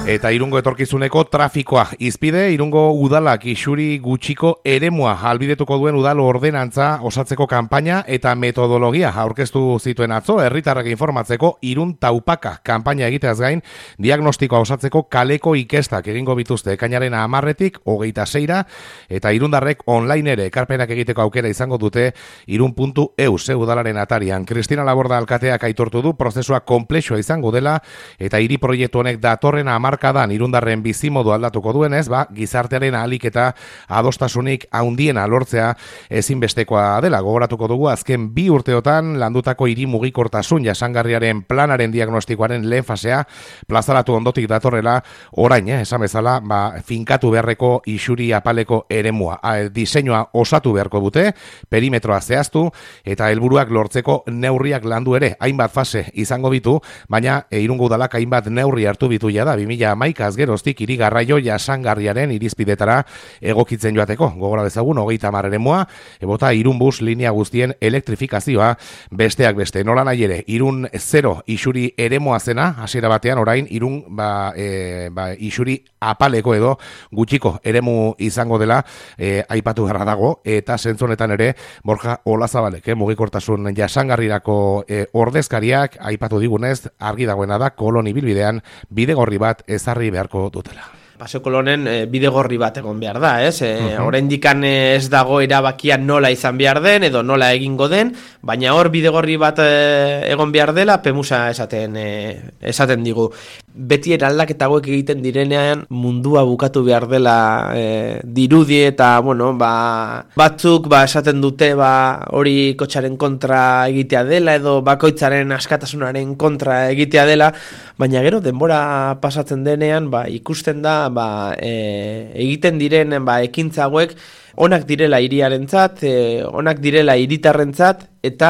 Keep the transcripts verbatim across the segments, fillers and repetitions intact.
Eta Irungo etorkizuneko trafikoa izpide, Irungo udalak isuri gutxiko eremua albidetuko duen udal ordenantza osatzeko kanpaina eta metodologia aurkeztu zituen atzo, herritarrak informatzeko Irun taupaka kanpaina egiteaz gain, diagnostikoa osatzeko kaleko ikestak egingo bituzte ekainaren hamarretik hogeita seira, eta irundarrek online ere ekarpenak egiteko aukera izango dute irun puntu eus udalaren atarian. Cristina Laborda alkateak aitortu du prozesua konplexua izango dela, eta hiri proiektu honek datorren hamarkadan irundarren bizimodu aldatuko duenez, ba, gizartearen ahalik eta adostasunik haundiena lortzea ezinbestekoa dela. Gogoratuko dugu azken bi urteotan landutako hiri mugikortasun jasangarriaren planaren diagnostikoaren lehen fasea plazaratu ondotik datorrela orain, eh, esan bezala, ba, finkatu beharreko isuri apaleko eremua. A, diseinua osatu beharko dute, perimetroa zehaztu eta helburuak lortzeko neurriak landu ere, hainbat fase izango bitu, baina e, Irungo udalak hainbat neurri hartu bitu jada bi mila hamaika geroztik hiri garraio jasangarriaren irizpidetara egokitzen joateko. Gogora dezagun hogeita hamar eremua, ebota Irunbus linea guztien elektrifikazioa besteak beste. Nola nahi ere, Irun zero isuri eremua zena, hasiera batean orain Irun ba, e, ba, isuri apaleko edo gutxiko eremu izango dela e, aipatu garra dago, eta zentzonetan ere Borja Olazabalek, eh, mugikortasun jasangarrirako e, ordezkariak aipatu digunez, argi dagoena da kolon ibilbidean bidegorri bat ezarri beharko dutela. Paseo Kolonen e, bidegorri bat egon behar da, ez? E, uh-huh. Oraindikan ez dago erabakia nola izan behar den edo nola egingo den, baina hor bidegorri bat e, egon behar dela Pemusa esaten e, esaten digu. Beti eraldaketa hauek egiten direnean mundua bukatu behar dela e, dirudi eta bueno, ba, batzuk ba, esaten dute ba, hori kotxaren kontra egitea dela edo bakoitzaren askatasunaren kontra egitea dela, baina gero denbora pasatzen denean ba, ikusten da ba, e, egiten diren ba, ekintza hauek onak direla hiriarentzat, e, onak direla hiritarrentzat eta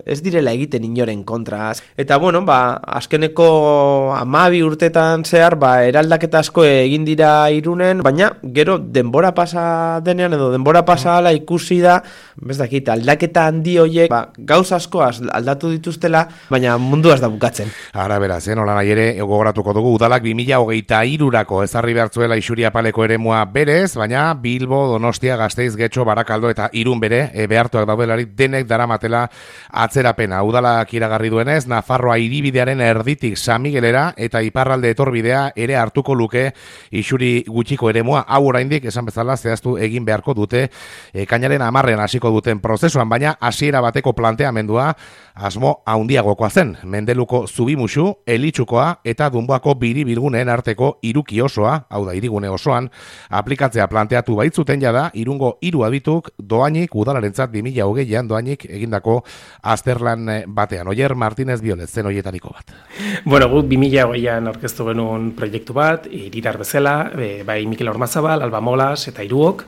ez direla egiten inoren kontra. Eta bueno, ba, azkeneko hamabi urtetan zehar ba, eraldaketa asko egin dira Irunen, baina gero denbora pasa denean edo denbora pasa ala ikusi da, bez dakit, aldaketa handi horiek ba, gauz asko aldatu dituztela, baina mundua ez da bukatzen. Ara beraz, eh, nola nahi ere, gogoratuko dugu udalak bi mila hogeita hirurako ezarri behartzuela isuri apaleko eremua berez, baina Bilbo, Donostia, Gasteiz, Getxo, Barakaldo eta Irun bere e, behartuak daudelarik denek daramatela atzerapena. Udalak iragarri duenez, Nafarroa hiribidearen erditik San Miguelera eta iparralde etorbidea ere hartuko luke isuri gutxiko eremua. Hau oraindik esan bezala zehaztu egin beharko dute ekainaren hamarrean hasiko duten prozesuan, baina hasiera bateko planteamendua asmo handiagokoa zen. Mendeluko Zubimuxu, Elitxukoa eta Dunboako biribilguneen arteko hiruki osoa, hau da hirigune osoan, aplikatzea planteatu baitzuten jada Irungo hiru adituk doainik udalarentzat bi mila hogeian doainik egindako azterlan batean. Oier Martínez Biolet zen hoietariko bat. Bueno, guk bi mila hogeian aurkeztu genuen proiektu bat, hiritar bezala, e, bai Mikel Ormazabal, Alba Molas eta Iruok,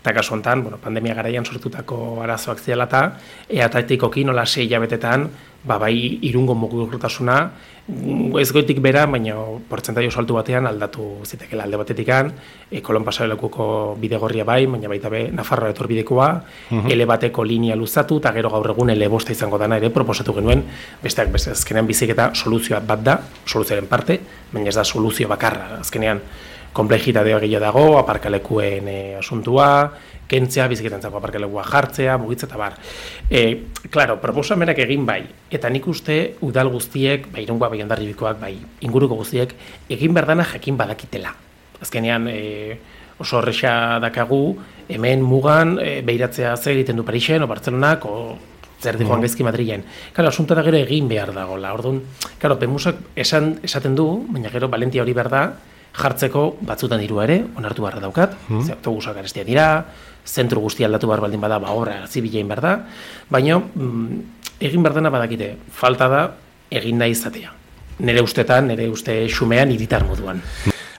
eta kasu honetan, bueno, pandemia garaian sortutako arazoak ziala eta eatatikoki nola sei hilabetetan, ba, bai Irungo mugikortasuna ez goitik bera, baina portzentai oso altu batean aldatu zitekela alde batetikan, e, Kolon pasarelekuko bidegorria bai, baina baita be Nafarroa etorbidekoa, uh-huh. ele bateko linea luzatu, eta gero gaur egun ele bosta izango dana ere proposatu genuen, besteak beste azkenean biziketa soluzioa bat da, soluzioaren parte, baina ez da soluzio bakarra, azkenean konplexitatea gehiago dago, aparkalekuen e, asuntua, kentzea, biziketantzako aparkalekua jartzea, mugitza eta bar. E, claro, proposamenak egin bai, eta nik uste udal guztiek, bai Irungoa, bai Hondarribikoak, bai inguruko guztiek, egin berdana jakin badakitela. Azkenean e, oso horreza dakagu, hemen mugan e, behiratzea zer egiten du Parisen, o Bartzelonak, o zer di joan gaizki Madrilen. Claro, asuntoa da gero egin behar dagoela. Orduan, claro, Pemusak esan, esaten du, baina gero valentia hori behar da, jartzeko batzutan diru ere, onartu beharra daukat, mm. ze autobusak garestia dira, zentru guztia aldatu behar baldin bada, ba obra zibilein behar da, baina mm, egin behar dena badakite, falta da egin nahi izatea. Nere ustetan, nere uste xumean hiritar moduan.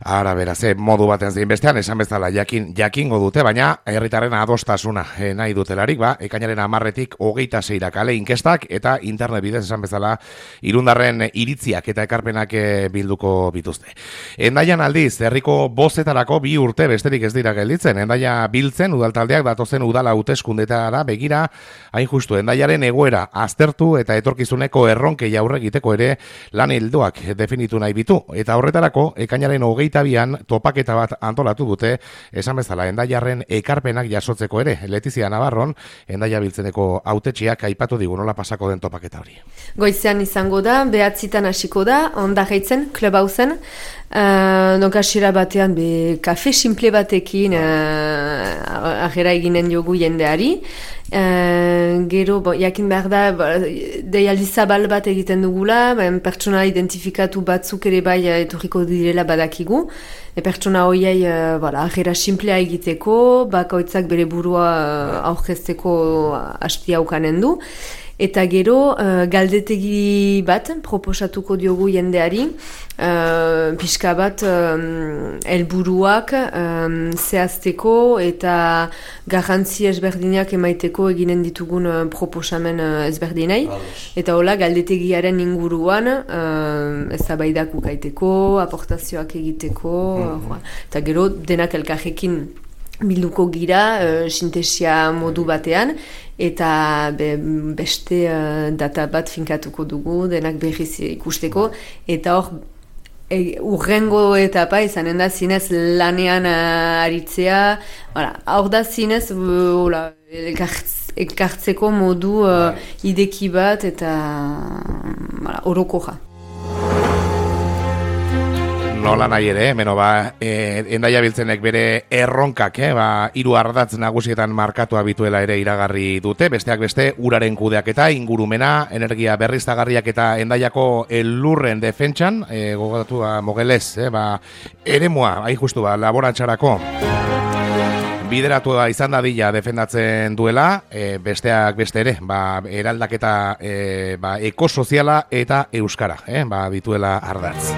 Ara, beraz, ze modu baten zein bestean, esan bezala jakin, jakingo dute, baina herritarren adostasuna eh, nahi dutelarik, ba, ekainaren amarretik hogeita seira kale inkestak eta internet bidez esan bezala irundarren iritziak eta ekarpenak eh, bilduko bituzte. Endaian aldiz, herriko bozetarako bi urte besterik ez dira gelditzen, endaia biltzen udaltaldeak datozen udala hauteskundetara begira, hain justu, endaiaren egoera aztertu eta etorkizuneko erronkei aurre egiteko ere lan ildoak definitu nahi bitu, eta horretarako ekainaren hogeita bian topaketa bat antolatu dute, esan bezala endaiarren ekarpenak jasotzeko ere. Letizia Navarron, endaia biltzeneko hautetxiak aipatu digu nola pasako den topaketa hori. Goizean izango da, behatzitan hasiko da, onda jaitzen, klub hauzen, uh, donk asira batean, be, kafe simple batekin uh, agera eginen jogu jendeari, Uh, gero, bo, jakin behar da, deialdi zabal bat egiten dugula, ben, pertsona identifikatu batzuk ere bai etorriko direla badakigu, e pertsona horiei uh, voilà, agera simplea egiteko, bakoitzak bere burua uh, aurkezteko hastia ukanen du, eta gero uh, galdetegi bat proposatuko diogu jendeari, uh, pixka bat um, helburuak um, zehazteko eta garrantzi ezberdinak emaiteko eginen ditugun uh, proposamen uh, ezberdinei. Eta hola, galdetegiaren inguruan uh, eztabaidak ukaiteko, aportazioak egiteko, mm-hmm. uh, eta gero denak elkarrekin bilduko gira, uh, sintesia modu batean, eta be, beste uh, data bat finkatuko dugu, denak berriz ikusteko, eta hor, e, urrengo etapa izanen da zinez lanean uh, aritzea, hor da zinez, uh, ekartzeko modu uh, ideki bat, eta uh, orokoja. Nola nahi ere, meno ba, e, endaia biltzenek bere erronkak, eh, ba, hiru ardatz nagusietan markatua bituela ere iragarri dute, besteak beste uraren kudeaketa, ingurumena, energia berriztagarriak eta endaiako elurren defentsan, e, gogatu ba, mogelez, eh, ba, eremua, hain justu ba, laborantxarako. Bideratu da izan dadila defendatzen duela, e, besteak beste ere, ba, eraldaketa e, ba, ekosoziala eta euskara, eh, ba, dituela ardatz.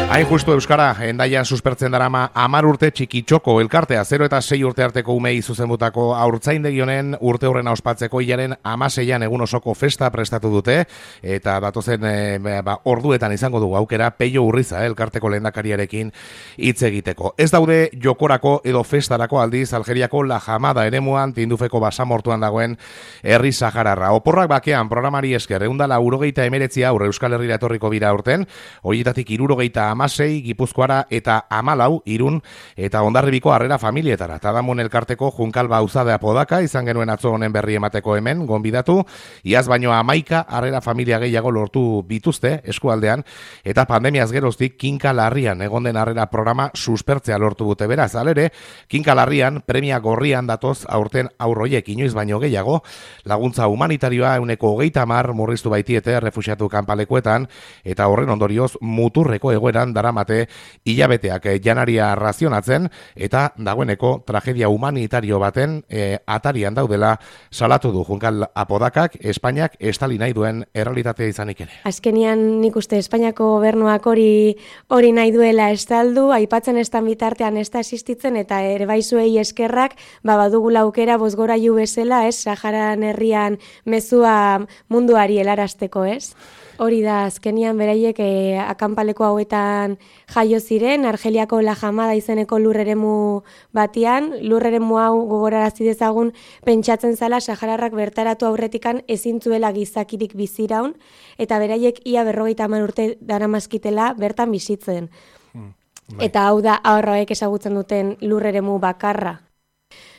Hain justu euskara, endaian suspertzen darama amar urte txikitxoko elkartea, zero eta sei urte arteko umei zuzenbutako haurtzaindegi honen urte horrena ospatzeko hilaren amaseian egun osoko festa prestatu dute, eta datozen e, ba, orduetan izango dugu aukera Peio Urriza, elkarteko lehendakariarekin hitz egiteko. Ez daude jokorako edo festarako aldiz Algeriako La Jamada eremuan tindufeko basamortuan dagoen herri sahararra. Oporrak bakean programari esker, eundala urogeita emeretzi aurre Euskal Herrira etorriko bira aurten, horietatik irurogeita amasei, Gipuzkoara eta amalau, Irun eta Hondarribiko harrera familietara. Tadamun elkarteko Junkal Bauzadea Podaka izan genuen atzo honen berri emateko hemen, gonbidatu, iaz baino amaika harrera familia gehiago lortu bituzte eskualdean, eta pandemiaz geroztik Kinka Larrian egon den harrera programa suspertzea lortu dute beraz. Alere, Kinka Larrian premia gorrian datoz aurten aurroiek inoiz baino gehiago, laguntza humanitarioa euneko hogeita hamar murriztu baitiete refuxiatu kanpalekuetan, eta horren ondorioz muturreko egoera daramate hilabeteak janaria razionatzen eta dagoeneko tragedia humanitario baten e, atarian daudela salatu du Junkal Apodakak, Espainiak estali nahi duen errealitatea izanik ere. Azkenian nik uste Espainiako gobernuak hori hori nahi duela estaldu, aipatzen estan bitartean ez da existitzen eta ere baizuei eskerrak, ba badugula aukera bozgorailu bezala, ez, Saharan herrian mezua munduari helarazteko, ez? Hori da, azkenian beraiek e, akanpaleko hauetan jaio ziren, Argeliako La Jamada izeneko lurreremu batian, lurreremu hau gogorarazi dezagun pentsatzen zala sahararrak bertaratu aurretikan ezintzuela gizakirik biziraun, eta beraiek ia berrogeita hamar urte daramazkitela bertan bizitzen. Hmm, eta hau da ahorroek ezagutzen duten lurreremu bakarra.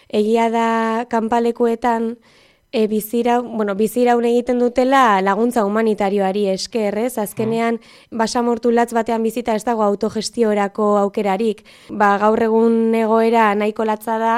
Egia da kanpalekuetan E, bizira, bueno, biziraun egiten dutela laguntza humanitarioari esker, ez? Azkenean, basamortu latz batean bizita ez dago autogestiorako aukerarik. Ba, gaur egun egoera nahiko latza da,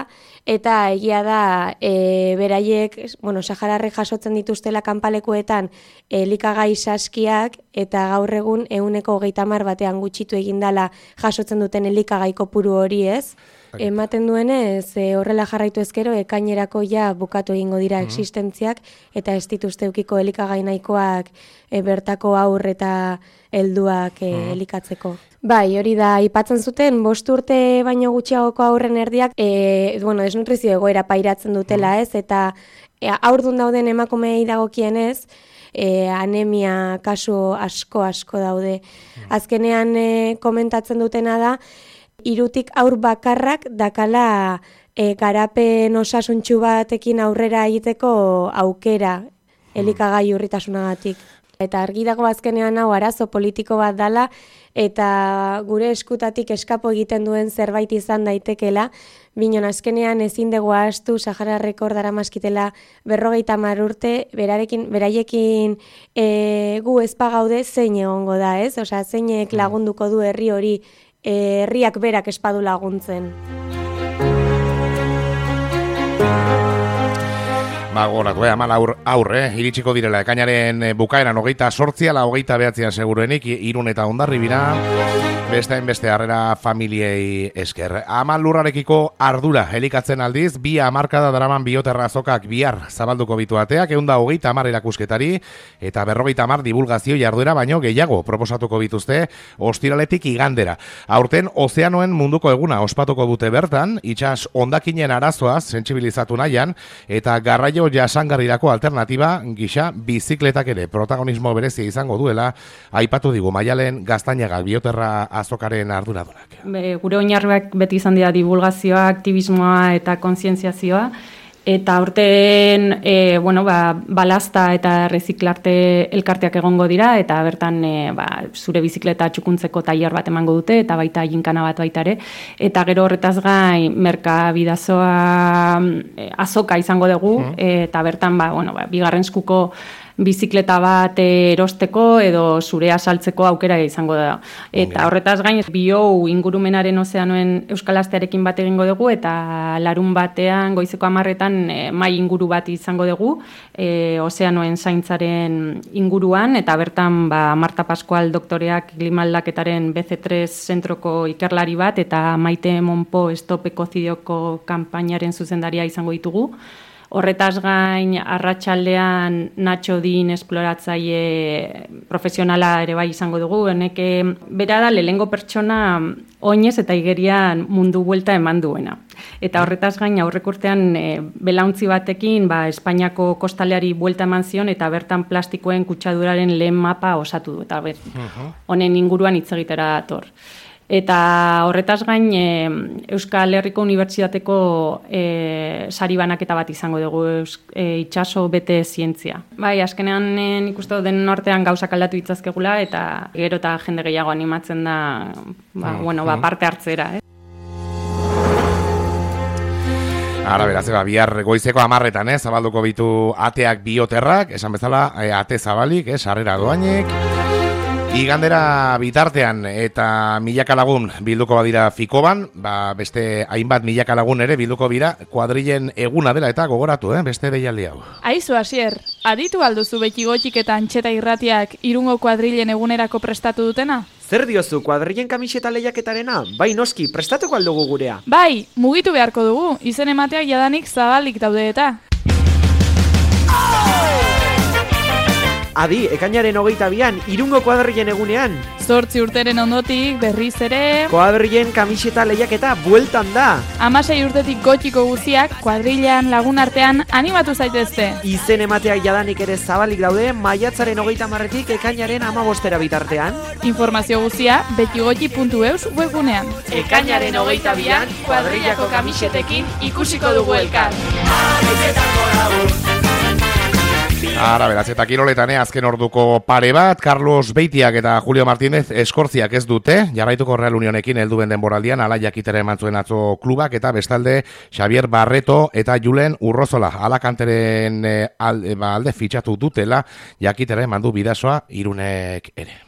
eta egia da e, beraiek, bueno, sahararrek jasotzen dituztela kanpalekuetan elikagai saskiak, eta gaur egun ehuneko hogeita hamar batean gutxitu egindala jasotzen duten elikagai kopuru hori, ez? ematen duenez, e, horrela jarraitu ezkero, ekainerako ja bukatu egingo dira Mhm. existentziak, eta ez dituzte eukiko elikagai nahikoak e, bertako aur eta helduak e, Mhm. elikatzeko. Bai, hori da, aipatzen zuten, bost urte baino gutxiagoko aurren erdiak, e, bueno, desnutrizio egoera pairatzen dutela, ez, eta e, aurdun dauden emakumeei dagokienez, e, anemia kasu asko asko daude. Azkenean e, komentatzen dutena da, hirutik aur bakarrak dakala e, garapen osasuntsu batekin aurrera egiteko aukera elikagai urritasunagatik. Eta argi dago azkenean hau arazo politiko bat dala, eta gure eskutatik eskapo egiten duen zerbait izan daitekela, binon azkenean ezin dugu ahaztu Sahara Rekord daramaskitela berrogeita hamar urte, berarekin, beraiekin e, gu ezpagaude zein egongo da, ez? Osea, zeinek lagunduko du herri hori, e, herriak berak espadu laguntzen. Ba, goratu, eh, amal aur, aurre, eh, iritsiko direla, ekainaren eh, bukaeran hogeita sortzia, la hogeita behatzian seguruenik, Irun eta Hondarri bira, beste beste harrera familiei esker. Amal lurrarekiko ardura helikatzen aldiz, bi hamarkada daraman bioterra azokak bihar zabalduko bitu ateak, eunda hogeita hamar erakusketari, eta berrogeita hamar divulgazio jarduera baino gehiago proposatuko bituzte, ostiraletik igandera. Aurten, ozeanoen munduko eguna ospatuko dute bertan, itsas hondakinen arazoaz sentsibilizatu nahian, eta garraio jasangarrirako alternatiba gisa bizikletak ere protagonismo berezia izango duela, aipatu digu Maialen Gaztañaga bioterra azokaren arduradunak. Be, gure oinarriak beti izan dira divulgazioa, aktivismoa eta kontzientziazioa, eta aurten e, bueno, ba, balazta eta reziklarte elkarteak egongo dira, eta bertan e, ba, zure bizikleta txukuntzeko tailer bat emango dute, eta baita ginkana bat baita ere, eta gero horretaz gain merkabidazoa e, azoka izango dugu, mm. eta bertan ba, bueno, ba, bigarren eskuko bizikleta bat erosteko edo zurea saltzeko aukera izango da. Eta horretaz gain, bio ingurumenaren ozeanoen Euskal Astearekin bat egingo dugu, eta larun batean, goizeko hamarretan, e, mai inguru bat izango dugu, e, ozeanoen zaintzaren inguruan, eta bertan ba, Marta Pascual doktoreak klimaldaketaren B C tres zentroko ikerlari bat, eta Maite Monpo Stop Ekocidioko kanpainaren zuzendaria izango ditugu. Horretaz gain, arratsaldean Nacho Din esploratzaile profesionala ere bai izango dugu, honek bera da lehengo pertsona oinez eta igerian mundu buelta eman duena. Eta horretaz gain, aurrek urtean e, belauntzi batekin ba, Espainiako kostaleari buelta eman zion, eta bertan plastikoen kutsaduraren lehen mapa osatu du, eta ber, honen inguruan hitz egitera dator. Eta horretaz gain, e, Euskal Herriko Unibertsitateko e, sari banaketa bat izango dugu, e, itxaso bete zientzia. Bai, azkenean e, nik uste den artean gauzak aldatu ditzazkegula, eta gero eta jende gehiago animatzen da ba, mm, bueno, ba, parte hartzera. Eh? Ara, beraz, eba, bihar goizeko hamarretan, eh, zabalduko bitu ateak bioterrak, esan bezala, e, ate zabalik, eh, sarrera doainek. Igandera bitartean eta milaka lagun bilduko badira Fikoban, ba beste hainbat milaka lagun ere bilduko bira kuadrilen eguna dela eta gogoratu, eh, beste deialdi hau. Aizu Asier, aditu alduzu beti gotxik eta antxeta irratiak Irungo kuadrilen egunerako prestatu dutena? Zer diozu, kuadrilen kamiseta lehiaketarena? Bai noski, prestatuko aldugu gurea. Bai, mugitu beharko dugu, izen emateak jadanik zabalik daude eta. Adi, ekainaren hogeita bian, Irungo kuadrilen egunean. Zortzi urteren ondotik, berriz ere... Kuadrilen kamiseta lehiaketa bueltan da. Hamasei urtetik gotxiko guziak, kuadrilean lagun artean animatu zaitezte. Izen emateak jadanik ere zabalik daude, maiatzaren hogeita marretik ekainaren amabostera bitartean. Informazio guzia, betigotxi puntu eus webgunean. Ekainaren hogeita bian, kuadrilako kamisetekin ikusiko dugu elkar. Ara, beraz, eta kiroletan azken orduko pare bat, Carlos Beitiak eta Julio Martínez eskortziak ez dute, jarraituko Real Unionekin heldu denboraldian, ala jakitera eman zuen atzo klubak, eta bestalde Xavier Barreto eta Julen Urrozola, Alakanteren e, alde, ba, alde fitxatu dutela, jakitera eman du bidasoa Irunek ere.